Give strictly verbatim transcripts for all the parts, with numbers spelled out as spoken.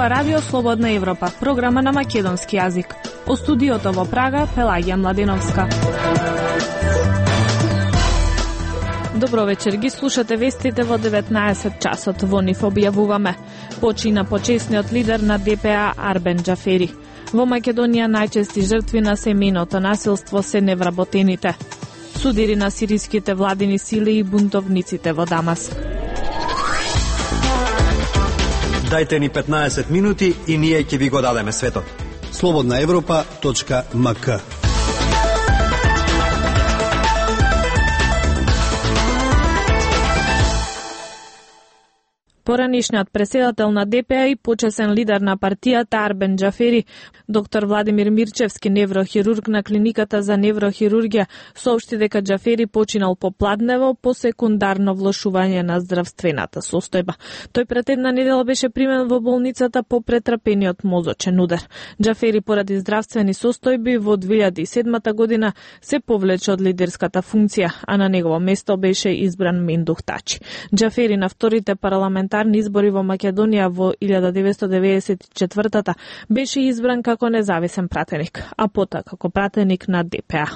зборува Радио Слободна Европа, програма на македонски јазик. О студиото во Прага, Пелагија Младеновска. Добро вечер, ги слушате вестите во деветнаесет часот. Во нив објавуваме: почина почесниот лидер на Д П А Арбен Џафери. Во Македонија најчести жртви на семејното насилство се невработените. Судири на сириските владини сили и бунтовниците во Дамаск. Дајте ни петнаесет минути и ние ќе ви го дадеме светот. слободна европа точка м к. Поранишниот преседател на Д П А и почесен лидер на партијата Арбен Џафери, доктор Владимир Мирчевски, неврохирург на клиниката за неврохирургија, соопшти дека Џафери починал попладнево по секундарно влошување на здравствената состојба. Тој пред една недела беше примен во болницата по претрпениот мозочен удар. Џафери поради здравствени состојби во две илјади и седма година се повлече од лидерската функција, а на негово место беше избран Мендух Тачи. Џафери на вторите парламентарни избори во Македонија во илјада деветстотини деведесет и четвртата беше избран како независен пратеник, а потоа како пратеник на Д П А.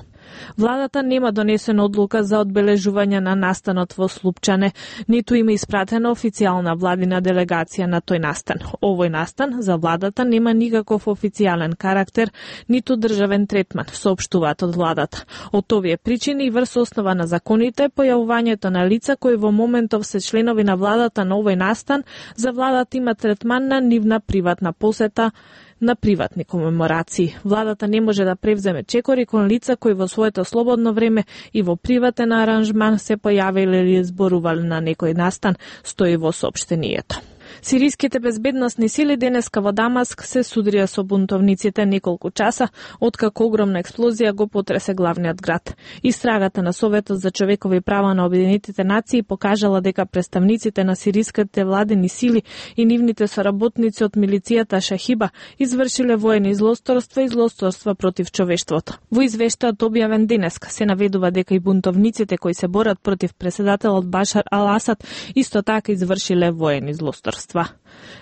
Владата нема донесена одлука за одбележување на настанот во Слупчане, ниту има испратена официјална владина делегација на тој настан. Овој настан за владата нема никаков официјален карактер, ниту државен третман, соопштуваат од владата. Од овие причини и врз основа на законите, појавувањето на лица кои во моментов се членови на владата на овој настан, за владата има третман на нивна приватна посета, на приватни комеморации. Владата не може да превземе чекори кон лица кои во своето слободно време и во приватен аранжман се појавиле или зборувале на некој настан, стои во соопштението. Сириските безбедносни сили денеска во Дамаск се судрија со бунтовниците неколку часа, откако огромна експлозија го потресе главниот град. Истрагата на Советот за човекови права на Обединетите нации покажала дека представниците на сириските владени сили и нивните соработници од милицијата Шахиба извршиле воени злосторства и злосторства против човештвото. Во извештајот објавен денеска се наведува дека и бунтовниците кои се борат против преседателот Башар ал-Асад исто така извршиле воени злосторства.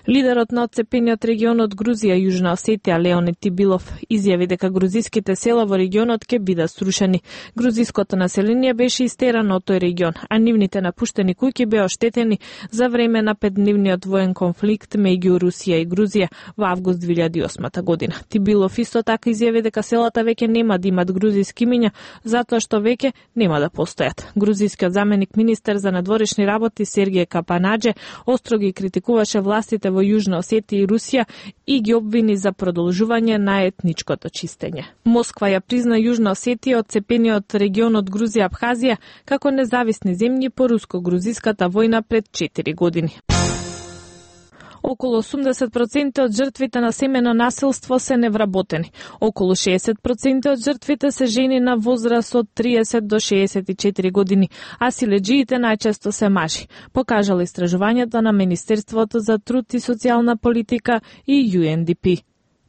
Лидерот на отцепениот регион од Грузија, Јужна Осетија, Леонид Тибилов, изјави дека грузиските села во регионот ќе бидат срушени. Грузиското население беше истерано од тој регион, а нивните напуштени куќи беа оштетени за време на петдневниот воен конфликт меѓу Русија и Грузија во август две илјади и осма година. Тибилов исто така изјави дека селата веќе нема да имат грузиски имиња, затоа што веќе нема да постојат. Грузискиот заменик министер за надворешни работи Сергеј Капанадже остро ги критикуваше властите во Јужна Осетија и Русија и ги обвини за продолжување на етничкото чистење. Москва ја призна Јужна Осетија, отцепениот регион од Грузија Абхазија, како независни земји по руско-грузиската војна пред четири години. Околу осумдесет проценти од жртвите на семено насилство се невработени. Околу шеесет проценти од жртвите се жени на возраст од триесет до шеесет и четири години, а силеџиите најчесто се мажи, покажало истражувањето на Министерството за труд и социјална политика и Ю Ен Ди Пи.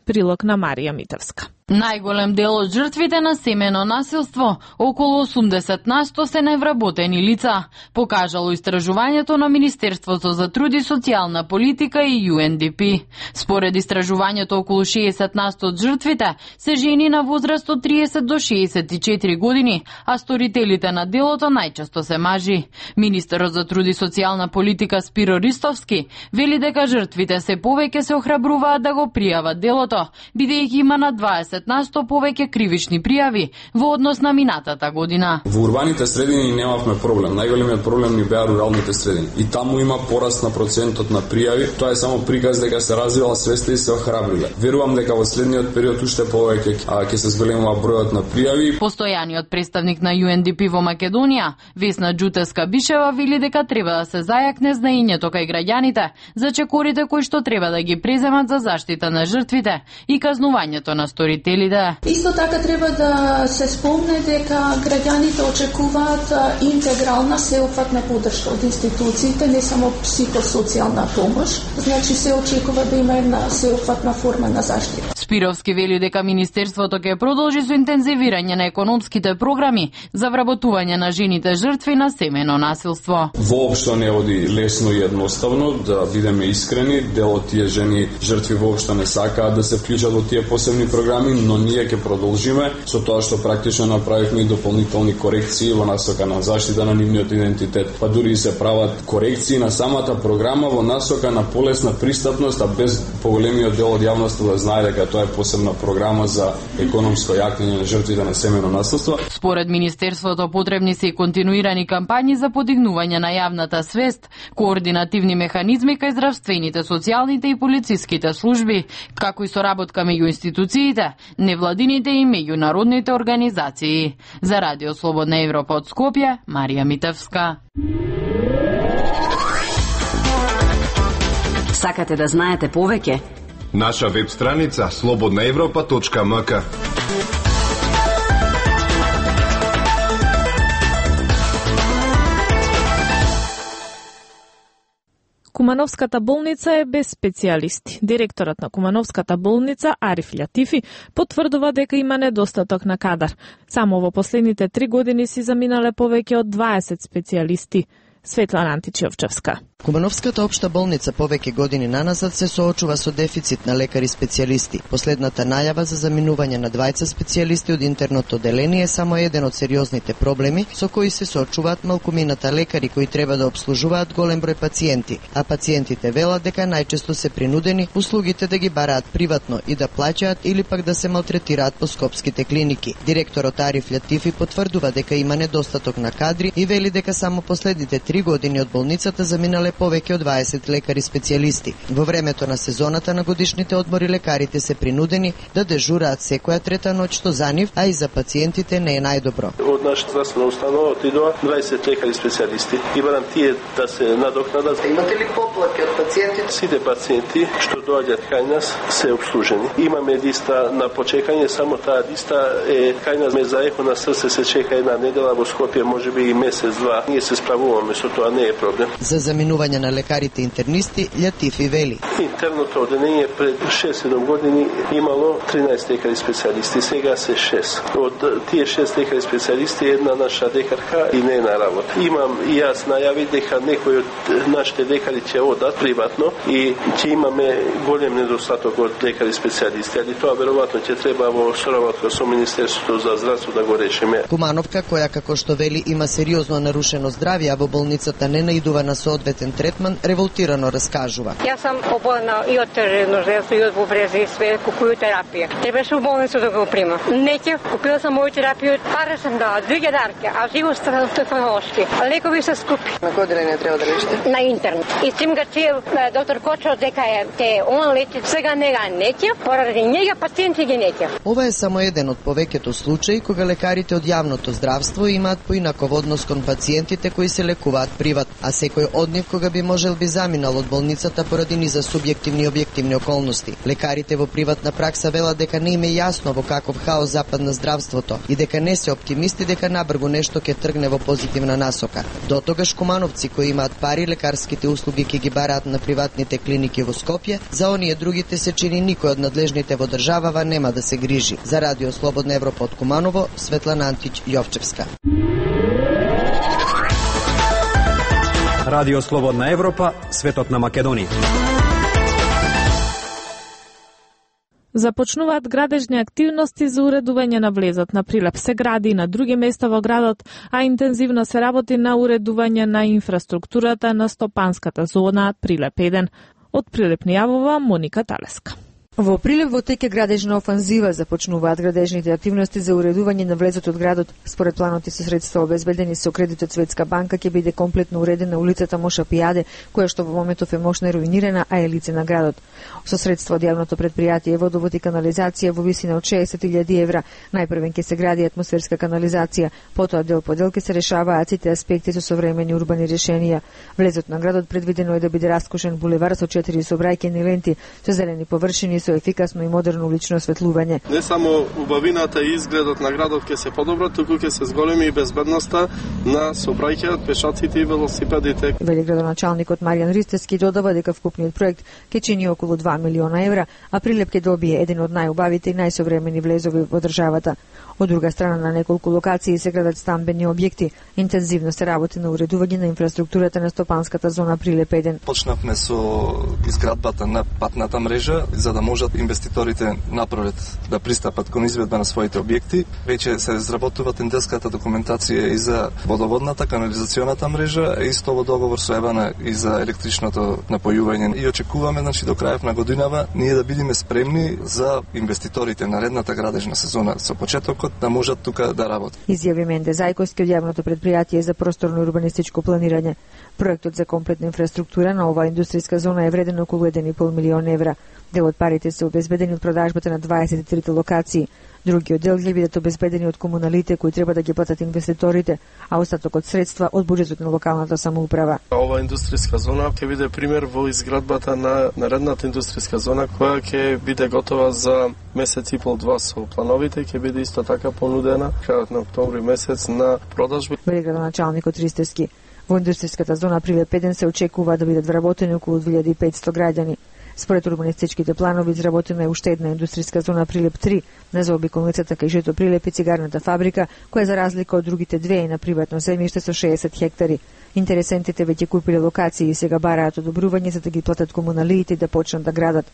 Прилог на Марија Митевска. Најголем дел од жртвите на семено насилство, околу осумдесет на сто се невработени лица, покажало истражувањето на Министерството за труд и социјална политика и Ю Ен Ди Пи. Според истражувањето, околу шеесет на сто од жртвите се жени на возраст од триесет до шеесет и четири години, а сторителите на делото најчесто се мажи. Министерот за труд и социјална политика Спиро Ристовски вели дека жртвите се повеќе се охрабруваат да го пријават делото, бидејќи има на дваесет на сто повеќе кривични пријави во однос на минатата година. Во урбаните средини немавме проблем. Најголемиот проблем ни беа руралните средини. И таму има пораст на процентот на пријави. Тоа е само приказ дека се развива свеста и се охрабриле. Верувам дека во следниот период уште повеќе ќе се зголемува бројот на пријави. Постојаниот представник на Ю Ен Ди Пи во Македонија, Весна Џутеска Бишева, вели дека треба да се зајакне знаењето кај граѓаните за чекорите кои што треба да ги преземат за заштита на жртвите и казнувањето на сторителите. Исто така треба да се спомне дека граѓаните очекуваат интегрална сеопфатна поддршка од институциите, не само психосоцијална помош. Значи се очекува да има една сеопфатна форма на заштита. Спировски вели дека Министерството ќе продолжи со интензивирање на економските програми за вработување на жените жртви на семено насилство. Воопшто не оди лесно и едноставно, да бидеме искрени, дел од тие жени жртви воопшто не сакаат да се вклучат во тие посебни програми, но ние ќе продолжиме со тоа што практично направивме и дополнителни корекции во насока на заштита на нивниот идентитет, па дури и се прават корекции на самата програма во насока на полесна пристапност, а без поголемиот дел од јавноста да знае дека тоа е посебна програма за економско јакнење на жртвите на семено насилство. Според Министерството потребни се и континуирани кампањи за подигнување на јавната свест, координативни механизми кај здравствените, социјалните и полициските служби, како и соработка меѓу институциите, невладините и меѓународните организации. За Радио Слободна Европа од Скопје, Марија Митевска. Сакате да знаете повеќе? Наша веб страница слободна европа точка м к. Кумановската болница е без специјалисти. Директорот на Кумановската болница, Ариф Лјатифи, потврдува дека има недостаток на кадар. Само во последните три години си заминале повеќе од дваесет специјалисти. Светлана Античевчевска. Кумановската општа болница повеќе години наназад се соочува со дефицит на лекари специјалисти. Последната најава за заминување на дваесет специјалисти од интерното одделение е само еден од сериозните проблеми со кои се соочуваат малкумината лекари кои треба да обслужуваат голем број пациенти, а пациентите велат дека најчесто се принудени услугите да ги бараат приватно и да плаќаат или пак да се малтретираат по скопските клиники. Директорот Ариф Лјатифи потврдува дека има недостаток на кадри и вели дека само последните три години од болницата заминале повеќе од дваесет лекари специјалисти. Во времето на сезоната на годишните одмори лекарите се принудени да дежураат секоја трета ноќ, што за нив, а и за пациентите не е најдобро. Од нашата здравствена установа отидоа дваесет лекари специјалисти и барам тие да се надокнадат. Имате ли поплаки од пациентите? Сите пациенти што доаѓаат кај нас се обслужени. Имаме листа на почекање, само таа листа е кај нас. Ме за ехо на срце се чека една недела, во Скопје можеби и месец два. Ние се справуваме со тоа, не е проблем. За заминување на лекарите интернисти, Лјатифи вели. Интерното одделение пред шест-седум години имало тринаесет лекари специјалисти, сега се шест. Од тие шест лекари специјалисти една наша лекарка и не е на работа. Имам и јас најави дека некои од нашите лекари ќе одат приватно и ќе имаме голем недостаток од лекари специјалисти, али тоа веројатно ќе треба во соработка со Министерството за здравство да го решиме. Кумановка, која како што вели има сериозно нарушено здравје, а во болницата не наидува на соодветен третман, револтирано раскажува. Јас сум оболна и од тереножерство, и од бубрези, и све, купую терапија. Требаше во болница да го примам. Неќе, купила сам моја терапија, пари сам дала, две дарки, а живо стефаношки. Лекови се скупи. На кој одделение треба да лечите? На интернет. И сим га чел доктор Кочо дека е те он лечи, сега нега неќе, поради нега пациенти ги неќе. Ова е само еден од повеќето случаи кога лекарите од јавното здравство имаат поинаков однос кон пациентите кои се лекуваат приват, а секој од нив кога би можел би заминал од болницата поради низа субјективни и објективни околности. Лекарите во приватна пракса велат дека не им е јасно во каков хаос западна здравството и дека не се оптимисти дека набрзо нешто ќе тргне во позитивна насока. Дотогаш кумановци кои имаат пари, лекарските услуги ќе ги бараат на приватните клиники во Скопје, за оние другите се чини никој од надлежните во државава нема да се грижи. За Радио Слободна Европа од Куманово, Светлана Антич Јовчевска. Радио Слободна Европа, светот на Македонија. Започнуваат градежни активности за уредување на влезот на Прилеп. Се гради и на други места во градот, а интензивно се работи на уредување на инфраструктурата на стопанската зона Прилеп еден. Од Прилеп ни јавува Моника Талеска. Во Прилеп во тек е градежна офанзива, започнуваат градежните активности за уредување на влезот од градот. Според планот и со средства обезбедени со кредит од Светска банка ќе биде комплетно уредена улицата Моша Пијаде, која што во моментов е мощно руинирана, а е лице на градот. Со средства од јавното предпријатие Водовод и канализација во висина од шеесет илјади евра, најпрвен ќе се гради атмосферска канализација, потоа дел по дел ќе се решаваат сите аспекти со современи урбани решенија. Влезот на градот предвидено е да биде раскошен булевар со четири сообраќајни ленти, со зелени површини, со ефикасно и модерно улично осветлување. Не само убавината и изгледот на градот ќе се подобра, туку ќе се зголеми и безбедноста на сообраќајот, пешаците и велосипедите. Вели градоначалникот Маријан Ристевски додава дека вкупниот проект ќе чини околу два милиона евра, а Прилеп ќе добие еден од најубавите и најсовремени влезови во државата. Од друга страна, на неколку локации се градат стамбени објекти. Интензивно се работи на уредување на инфраструктурата на стопанската зона Прилеп еден. Почнавме со изградбата на патната мрежа за да можат инвеститорите напред да пристапат кон изведба на своите објекти. Веќе се изработува тендерската документација и за водоводната, канализационата мрежа, и исто во договор со ЕВАНА и за електричното напојување. И очекуваме, значи, до крајот на годинава ние да бидеме спремни за инвеститорите на наредната градежна сезона со почетокот да можат тука да работат. Изјави Менде Зајковски од јавното предпријатие за просторно и урбанистичко планирање. Проектот за комплетна инфраструктура на оваа индустријска зона е вреден околу еден и пол милион евра. Дел од парите се обезбедени од продажбата на дваесет и трите локации. Другиот дел ќе бидат обезбедени од комуналите кои треба да ги платат инвеститорите, а остатокот средства од буџетот на локалната самоуправа. Ова индустријска зона ќе биде пример во изградбата на наредната индустријска зона која ќе биде готова за месец и пол два со плановите, ќе биде исто така понудена крајот на октомври месец на продажби. Вели градоначалникот Ристевски. Во индустријската зона Прилеп еден се очекува да бидат вработени околу две илјади и петсто граѓани. Според урбанистичките планови, изработена е уште една индустријска зона Прилеп три, на заобиколницата кај Жито Прилеп и цигарната фабрика, која за разлика од другите две е на приватно земјиште со шеесет хектари. Интересентите веќе купиле локации и сега бараат одобрување за да ги платат комуналиите и да почнат да градат.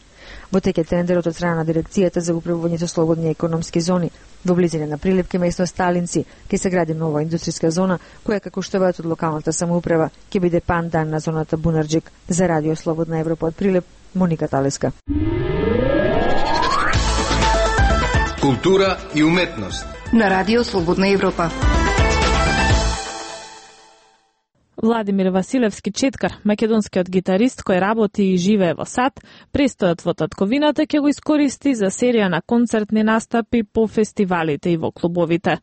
Во теке тендерот од страна на дирекцијата за управување со слободни економски зони. Во близина на Прилеп ке место Сталинци ќе се гради нова индустријска зона, која, како што велат од локалната самоуправа, ќе биде пандан на зоната Бунарџик. За Радио Слободна Европа од Прилеп, Моника Талеска. Култура и уметност на Радио Слободна Европа. Владимир Василевски Четкар, македонскиот гитарист кој работи и живее во САД, престојот во татковината ќе го искористи за серија на концертни настапи по фестивалите и во клубовите.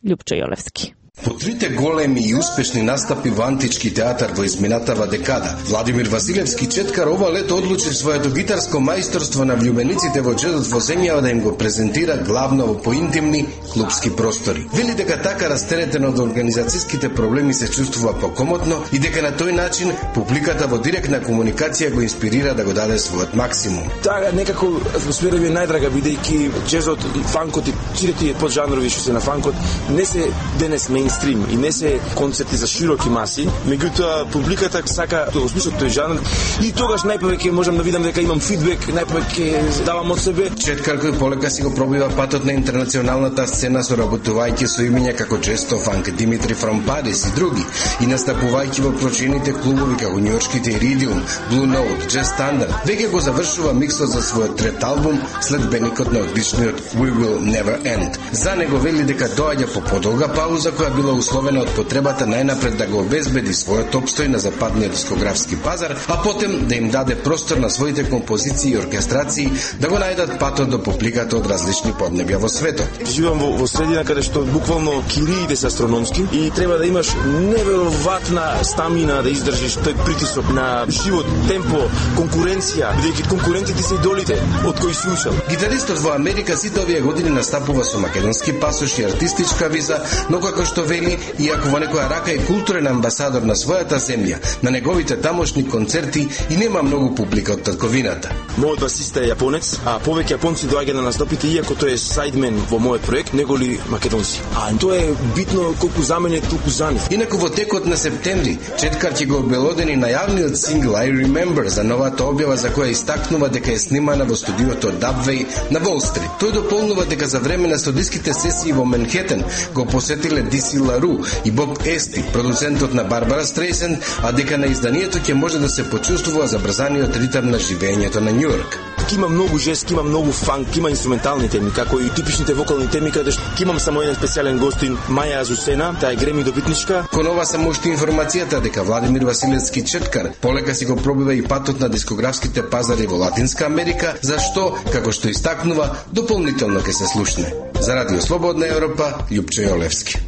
Љупчо Јолевски. По трите големи и успешни настапи во антички театар во изминатава декада, Владимир Василевски Четкар ова лето одлучи своето гитарско мајсторство на влюбениците во джезот во земјава да им го презентира главно во поинтимни клубски простори. Вели дека така растеретен од организацијските проблеми се чувствува покомотно и дека на тој начин публиката во директна комуникација го инспирира да го даде својот максимум. Така некако атмосфера ми е најдрага бидејќи джезот, фанкот и сите поджанрови што се на фанкот не се денес мејнстрим и не се концерти за широки маси, меѓутоа публиката сака да го слушат тој жанр и тогаш најповеќе можам да видам дека имам фидбек, најповеќе давам од себе. Четкар кој полека си го пробива патот на интернационалната сцена соработувајќи со имиња како Често Фанк, Димитри from Paris и други, и настапувајќи во прочените клубови како њујоршките Iridium, Blue Note, Jazz Standard, веќе го завршува миксот за својот трет албум след беникот на одличниот We Will Never End. За него вели дека доаѓа по подолга пауза која била условена од потребата најнапред да го обезбеди својот опстој на западниот дискографски пазар, а потем да им даде простор на своите композиции и оркестрации да го најдат патот до публиката од различни поднебја во светот. Живеам во, во средина каде што буквално кириите се астрономски и треба да имаш неверојатна стамина да издржиш тој притисок на живот, темпо, конкуренција, бидејќи конкурентите се идолите од кои си учел. Гитаристот во Америка сите овие години настапува со македонски пасош и артистичка виза, но како што вели, иако во некоја рака е културен амбасадор на својата земја, на неговите тамошни концерти и нема многу публика од татковината. Мојот басист е јапонец, а повеќе јапонци доаѓа на настапите, иако тој е сайдмен во мојот проект, неголи македонци. А тоа е битно колку за мене, толку за нив. Инаку во текот на септември, Четкар ќе го обелодени најавниот сингл I Remember за новата објава за која истакнува дека е снимана во студиото Dubway на Wall Street. Тој дополнува дека за време на студиските сесии во Менхетен го посетиле Ди Си Лару и Боб Ести, продуцентот на Барбара Стрейсен, а дека на изданието ќе може да се почувствува забрзаниот ритам на живеењето на Њујорк. Има многу жест, има многу фанк, има инструментални теми, како и типичните вокални теми, каде што имам само еден специјален гостин, Маја Азусена, таа е Греми добитничка. Кон ова само уште информацијата дека Владимир Василевски Четкар полека си го пробива и патот на дискографските пазари во Латинска Америка, за што, како што истакнува, дополнително ќе се слушне. За Радио Слободна Европа, Љупчо Јолевски.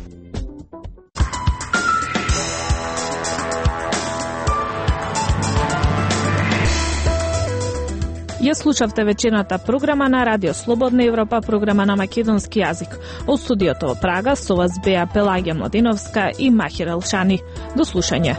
Ја слушавте вечерната програма на Радио Слободна Европа, програма на македонски јазик. Од студиото во Прага со вас беа Пелагија Младеновска и Махир Елшани. До слушање.